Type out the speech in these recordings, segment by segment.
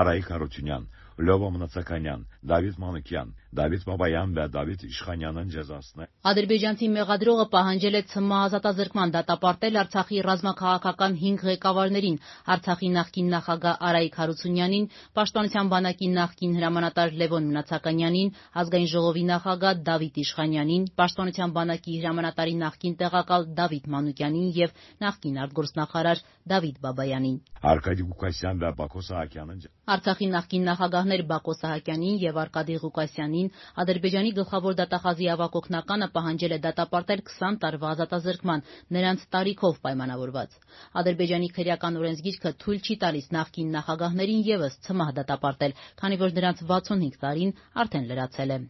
Արայիկ Հարությունյան, Լյովա Մնացականյան, Դավիթ Մանուկյան, Դավիթ Բաբայան və Դավիթ İşxanyanın cəzasını Ադրբեջանցի մեղադրողը պահանջել է ՑՄ ազատազրկման դատապարտել Արցախի ռազմաքաղաքական 5 ղեկավարներին՝ Արցախի նախկին նախագահ Արայիկ Հարությունյանին, Պաշտպանության բանակի նախկին հրամանատար Լևոն Մնացականյանին, Ազգային ժողովի նախագահ Դավիթ Իշխանյանին, Պաշտպանության բանակի հրամանատարի նախկին տեղակալ Դավիթ Մանուկյանին եւ նախկին արտգործնախարար Դավիթ Բաբայանին։ Արկադի Ղուկասյան və Բակո Սահակյանın Արցախի նախկին նախագահներ Բակո Սահակյանին եւ Արկադի Ղուկասյանին Ադրբեջանի գլխավոր դատախազի ավագ օգնականը պահանջել է դատապարտել 20 տարվա ազատազրկման, նրանց տարիքով պայմանավորված։ Ադրբեջանի քրեական օրենսգիրքը թույլ չի տալիս նախկին նախագահներին եւս ՑՄՀ դատապարտել, քանի որ նրանց 65 տարին արդեն լրացել է։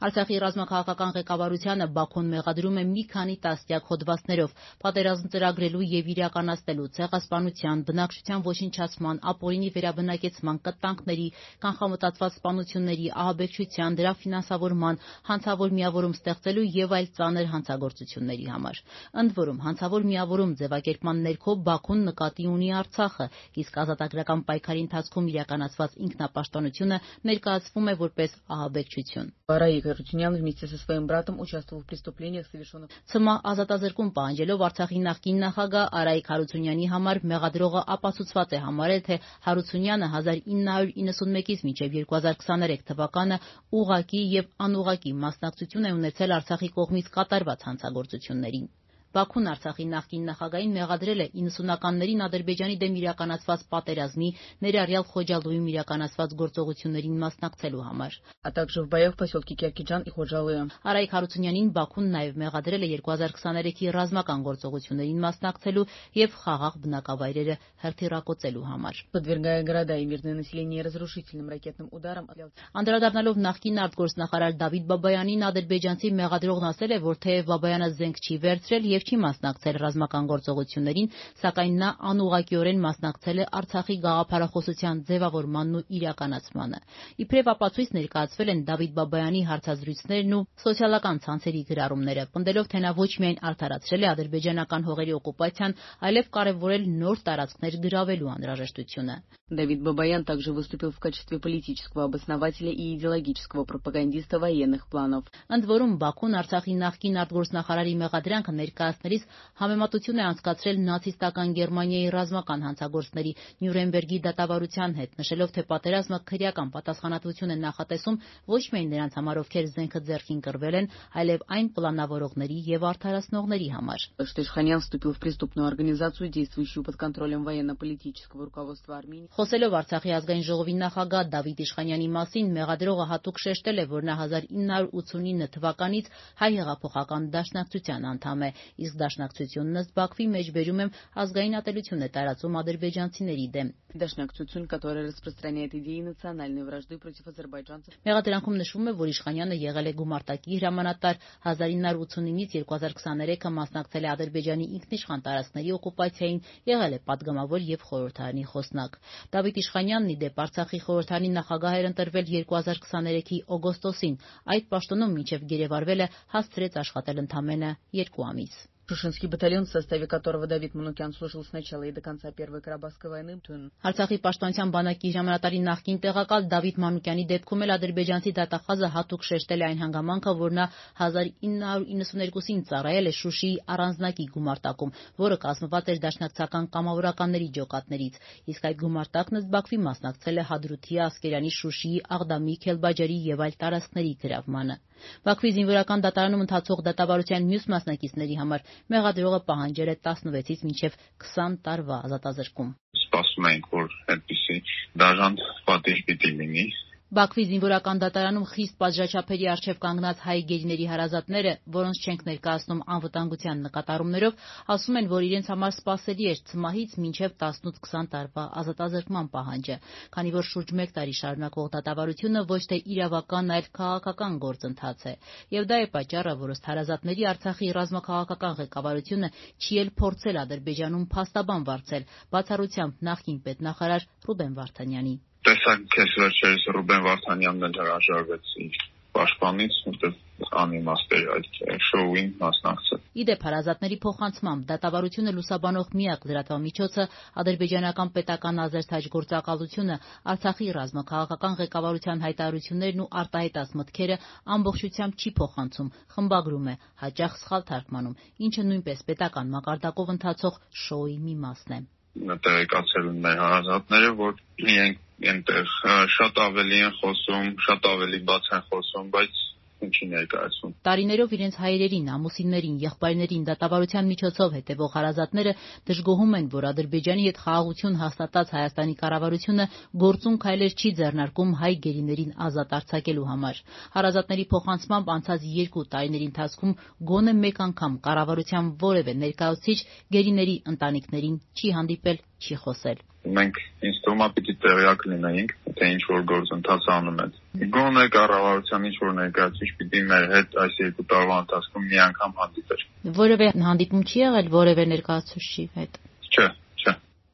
Արցախի ռազմաքաղաքական ղեկավարությանը Բաքուն մեղադրում է մի քանի տասնյակ հոդվածներով պատերազմ ծրագրելու եւ իրականացնելու, ցեղասպանության, բնակչության ոչնչացման, ապօրինի վերաբնակեցման, կտանքների, կանխամտածված սպանությունների, ահաբեկչության, դրա ֆինանսավորման, հանցավոր միավորում ստեղծելու եւ այլ ծանր հանցագործությունների համար։ Ընդ որում, հանցավոր միավորում ձևակերպման ներքո Բաքուն нկատի ունի Արցախը, իսկ ազատագրական պայքարի ընթացքում իրականացված ինքնապաշտպանությունը ներկայացվում է որպես ահաբեկչություն։ Արայիկ Հարությունյան вместе со своим братом участвовал в преступлениях, совершенных ՑՄ ազատազրկում պահանջելով Արցախի նախկին նախագահ Արայիկ Հարությունյանի համար մեղադրողը ապացուցված է համարել, թե Հարությունյանը 1991-ից մինչև 2023 թվականը ուղղակի եւ անուղղակի մասնակցություն է ունեցել Արցախի կողմից կատարված հանցագործություններին։ Բաքուն Արցախի նախկին նախագահին մեղադրել է 90-ականներին Ադրբեջանի դեմ իրականացված պատերազմի, ներառյալ Խոջալույում իրականացված գործողություններին մասնակցելու համար։ а также в боях в поселке Киркиджан и Ходжалые. Արայիկ Հարությունյանին Բաքուն նաև մեղադրել է 2023-ի ռազմական գործողություններին մասնակցելու եւ խաղաղ բնակավայրերը հրթիռակոծելու համար։ Подвергая города и мирное население разрушительным ракетным ударам. Անդրադառնալով նախկին արտգործնախարար Դավիթ Բաբայանին ադրբեջանցի մեղադրողն ասել է, որ թեև Բաբայանը զենք չի վերցրել եւ չի մասնակցել ռազմական գործողություններին, սակայն նա անուղղակիորեն մասնակցել է Արցախի գաղափարախոսության ձևավորմանն ու իրականացմանը։ Իբրև ապացույց ներկայացվել են Դավիթ Բաբայանի հարցազրույցներն ու սոցիալական ցանցերի գրառումները, պնդելով, թե նա ոչ միայն արդարացրել է ադրբեջանական հողերի օկուպացիան, այլև կարևորել նոր տարածքներ գրավելու անհրաժեշտությունը։ Давид Бабаян также выступил в качестве политического обоснователя и идеологического пропагандиста военных планов. Ընդ որում Բաքուն Արցախի նախկին արտգործնախարարի մեղադրանքը ներկայացնելիս համեմատություն է անցկացրել նացիստական Գերմանիայի ռազմական հանցագործների Նյուրնբերգի դատավարության հետ, նշելով, թե պատերազմը քրեական պատասխանատվություն է նախատեսում ոչ միայն նրանց համար, ովքեր զենքը ձեռքին կրվել են, այլև այն պլանավորողների եւ արդարացնողների համար։ Что Ишханян вступил в преступную организацию, действующую под контролем военно-политического руководства Армении. Խոսելով Արցախի ազգային ժողովի նախագահ Դավիթ Իշխանյանի մասին, մեղադրողը հատուկ շեշտել է, որ նա 1989 թվականից հայ հեղափոխական դաշնակցության անդամ է, իսկ դաշնակցությունն ըստ Բաքվի մեջբերում եմ ազգային ատելություն է տարածում ադրբեջանցիների դեմ։ Դաշնակցություն, которая распространяет идеи национальной вражды против азербайджанцев. Մեղադրանքում նշվում է, որ Իշխանյանը եղել է գումարտակի հրամանատար, 1989-ից 2023-ը մասնակցել է Ադրբեջանի ինքնիշխան տարածքների օկուպացիային, եղել է падգամավոր եւ խորհրդարանի խոսնակ։ Դավիթ Իշխանյանն ի դեպ Արցախի խորհրդարանի նախագահ էր ընտրվել 2023-ի օգոստոսին, այդ պաշտոնում մինչև գերեվարվել է հասցրեց աշխատել ընդամենը 2 ամիս։ Шушинский батальон, в составе которого Давид Манукян служил с начала и до конца Первой Карабахской войны. Արցախի պաշտպանության բանակի հրամանատարի նախկին տեղակալ Դավիթ Մանուկյանի դեպքում էլ ադրբեջանցի դատախազը հատուկ շեշտել է այն հանգամանքը, որ նա 1992-ին ծառայել է Շուշիի առանձնակի գումարտակում, որը կազմված էր դաշնակցական կամավորականների ջոկատներից, իսկ այդ գումարտակն ըստ Բաքվի մասնակցել է Հադրութի, Ասկերանի, Շուշիի, Աղդամի, Քելբաջարի եւ այլ տարածքների գրավմանը։ Բաքվի զինվորական դատարանում ընթացող դատավարության մյուս մասնակիցների համար մեղադրողը պահանջել է 16-ից մինչև 20 տարվա ազատազրկում։ Սպասում ենք, որ այդպիսի դաժան պատիժ պիտի լինի։ Բաքվի զինվորական դատարանում խիստ պատժաչափերի առջև կանգնած հայ գերիների հարազատները, որոնց չենք ներկայացնում անվտանգության նկատառումներով, ասում են, որ իրենց համար սպասելի էր ՑՄՀ-ից մինչև 18-20 տարվա ազատազրկման պահանջը, քանի որ շուրջ 1 տարի շարունակվող դատավարությունը ոչ թե իրավական, այլ քաղաքական գործընթաց է։ Եվ դա է պատճառը, որ ըստ հարազատների Արցախի ռազմաքաղաքական ղեկավարությունը չի էլ փորձել Ադրբեջանում փաստաբան վարձել, բացառությամբ նախկին պետնախարար Ռուբեն Վարդանյանի։ Տեսակ քեզ վերջերս Ռուբեն Վարդանյանն էլ հրաժարվեց իր պաշտպանից, որտեղ անիմաստ էր այդ շոուին մասնակցել։ Իդեպ հարազատների փոխանցմամբ դատավարությունը լուսաբանող միակ լրատվամիջոցը ադրբեջանական պետական ազերթաջ գործակալությունը Արցախի ռազմաքաղաքական ղեկավարության հայտարարություններն ու արտահայտած մտքերը ամբողջությամբ չի փոխանցում, խմբագրում է, հաճախ սխալ թարգմանում, ինչը նույնպես պետական մակարդակով ընթացող շոուի մի մասն է։ Տեղեկացել են մեր հարազատները, որ իրենք այնտեղ շատ ավելի են խոսում, շատ ավելի բաց են խոսում, բայց ինչի ներկայացում։ Տարիներով իրենց հայրերին, ամուսիններին, եղբայրներին դատավարության միջոցով հետևող հարազատները դժգոհում են, որ Ադրբեջանի հետ խաղաղություն հաստատած Հայաստանի կառավարությունը գործուն քայլեր չի ձեռնարկում հայ գերիներին ազատ արձակելու համար։ Հարազատների փոխանցմամբ անցած 2 տարիների ընթացքում գոնե մեկ անգամ կառավարության որևէ ներկայացուցիչ գերիների ընտանիքներին չի հանդիպել, չի խոսել։ Մենք ինձ թվում է պիտի տեղյակ լինեինք, թե ինչ որ գործընթաց անում են։ Գոնե կառավարության ինչ որ ներկայացուցիչ պիտի մեր հետ այս 2 տարվա ընթացքում մի անգամ հանդիպեր։ Որևէ հանդիպում չի եղել որևէ ներկայացուցչի հետ։ Չէ։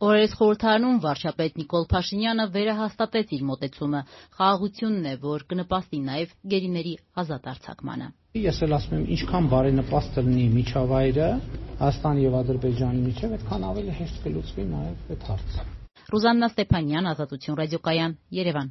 Օրերս խորհրդարանում վարչապետ Նիկոլ Փաշինյանը վերահաստատեց իր մոտեցումը։ Խաղաղությունն է, որ կնպաստի նաև գերիների ազատ արձակմանը։ Ես էլ ասում եմ, ինչքան բարենպաստ լինի միջավայրը Հայաստանի եւ Ադրբեջանի միջեւ, այդքան ավելի հեշտ կլուծվի նաև այդ հարցը։ Ռուզաննա Ստեփանյան, Ազատություն ռադիոկայան, Երևան։